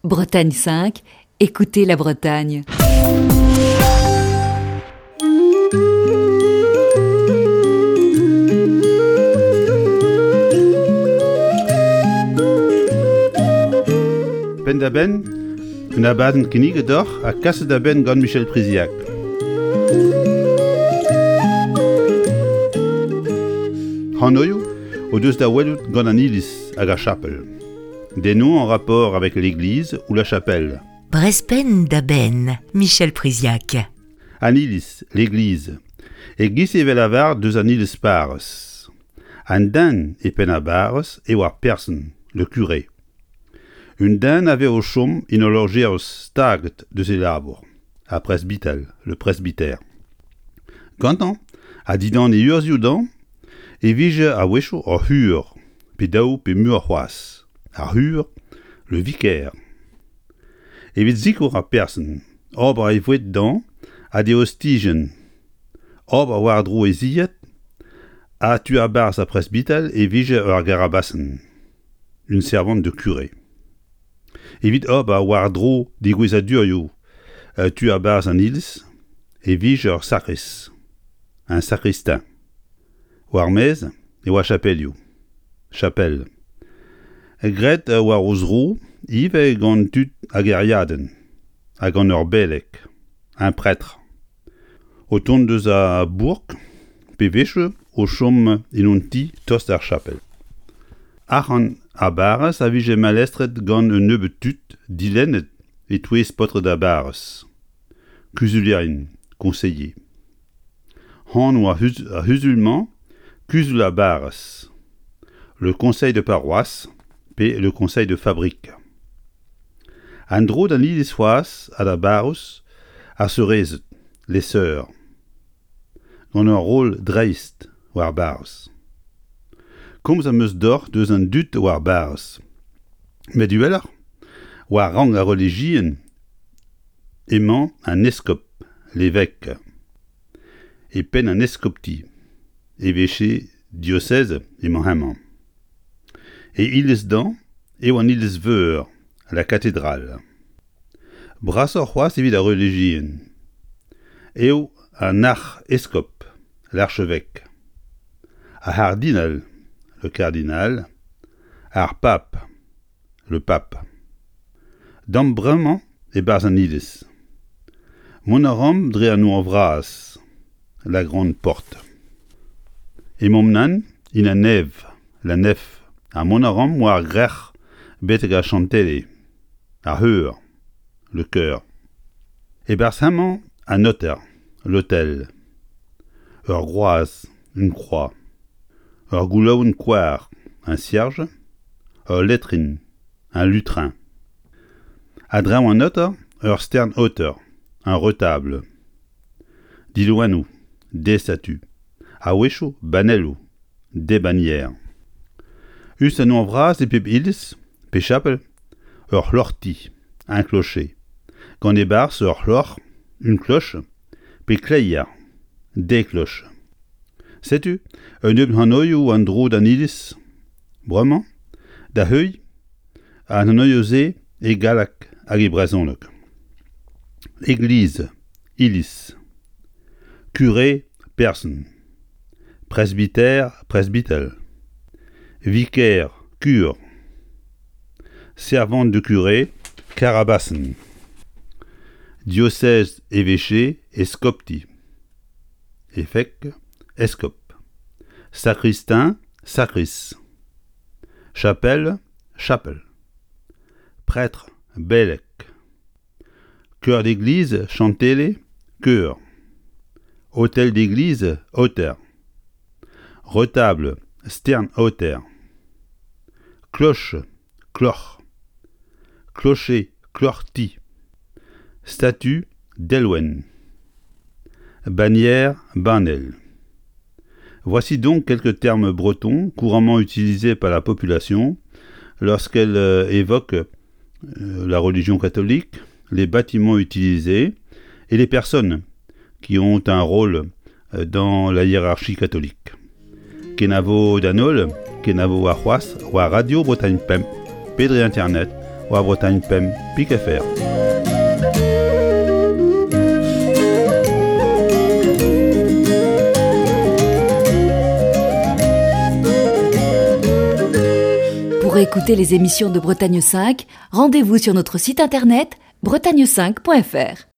Bretagne 5, écoutez la Bretagne. Penn-da-benn, un abadenn kinniget deoc'h ha kaset da benn gant Michel Priziac. Hanoioù o deus da welout gant an iliz hag ar chapel. Des noms en rapport avec l'église ou la chapelle. Brespenn da benn, Michel Priziac. An iliz, l'église. E-giz e vez lavaret deus an iliz parrez. An den e penn ar barrez eo ar person, le curé. Un den a vez o chom en ul lojeroz staget deus e labour, ar presbital, le presbytère. Gantañ, ha dindan e urzhioù dañ, e vije a-wechoù ur c'hur, pe daou pe muioc'h c'hoazh, ar c'hur, le vicaire. Evit sikour ar person, ober e voued dañ ha d'e ostijenn, ober war-dro e zilhad, ha tu a-barzh ar presbital e vije ur garabasenn, une servante de curé. Evit ober war-dro degouezhadurioù tu a-barzh an iliz e vije ur sakrist, un sakristin. War-maez e oa chapelioù, chapel. Graet war o zro ivez gant tud a gêriadenn ha gant ur beleg, un prêtre, o tont eus a bourk pe wechoù o chom en un ti tost d'ar chapel. Arc'hant ar barrez a vije malestret gant un nebeud tud dilennet e-touez paotred ar barrez, kuzulierien, conseillers. Anv ar c'huzul-mañ Kuzul ar barrez, le conseil de paroisse pe le conseil de fabrique. An dro d'an iliz c'hoazh ha da barrouz ar seurezed, les sœurs, gant ur roll dreist war barrez. Komz am eus deoc'h deus an dud war barrez. Met uheloc'h, war rank ar relijion Emañ an eskob, l'évêque, e penn an eskopti, évêché diocèse emañ hemañ. E iliz-dañ eo an iliz-veur, la cathédrale. Brasoc'h c'hoazh evit ar relijion eo an arc'heskob, l'archevêque, ar c'hardinal, le cardinal, ar pab. Le Pape. Damp bremañ e-barzh an iliz. Mont a raomp dre an nor vras, la grande porte. Emaomp nann en an nev, la nef, ha mont a raomp war grec'h betek ar chantele, ar c'heur, le chœur. E-barzh hemañ an aoter, l'autel. Ur groaz, une croix. Ur goulaouenn koar, un cierge, ul letrin, un lutrin. A-dreñv an aoter, ur stern-aoter, un retable. Diloennoù, des statues. A-wechoù banelloù, des bannières. Us an nor vras e pep iliz, pe chapel, ur c'hloc'hti, un clocher. Gant e-barzh ur c'hloc'h, une cloche, pe kleier, des cloches. Setu un nebeud hanoioù an dro d'an iliz bremañ da heuilh an hanoioù-se e galleg hag e brezhoneg. Église, iliz, curé, person, presbytère, presbytel, vicaire, cure, servant de curé, karabasenn, diocèse, évêché, eskopti. Évêque, eskob. Sakristin, sakris. Chapelle, chapel. Prêtre, beleg. Chœur d'église, chantele, chœur. Hôtel d'église, aoter. Retable, stern-aoter. Cloche, kloc'h. Clocher, kloc'hti. Statue, delwenn. Bannière, banell. Voici donc quelques termes bretons couramment utilisés par la population lorsqu'elle euh, évoque euh, la religion catholique, les bâtiments utilisés et les personnes qui ont un rôle euh, dans la hiérarchie catholique. Kenavo d'an holl, kenavo warc'hoazh war Radio Bretagne Pemp, pe dre internet. war Bretagne 5 pik FR. Pour écouter les émissions de Bretagne 5, rendez-vous sur notre site internet bretagne5.fr.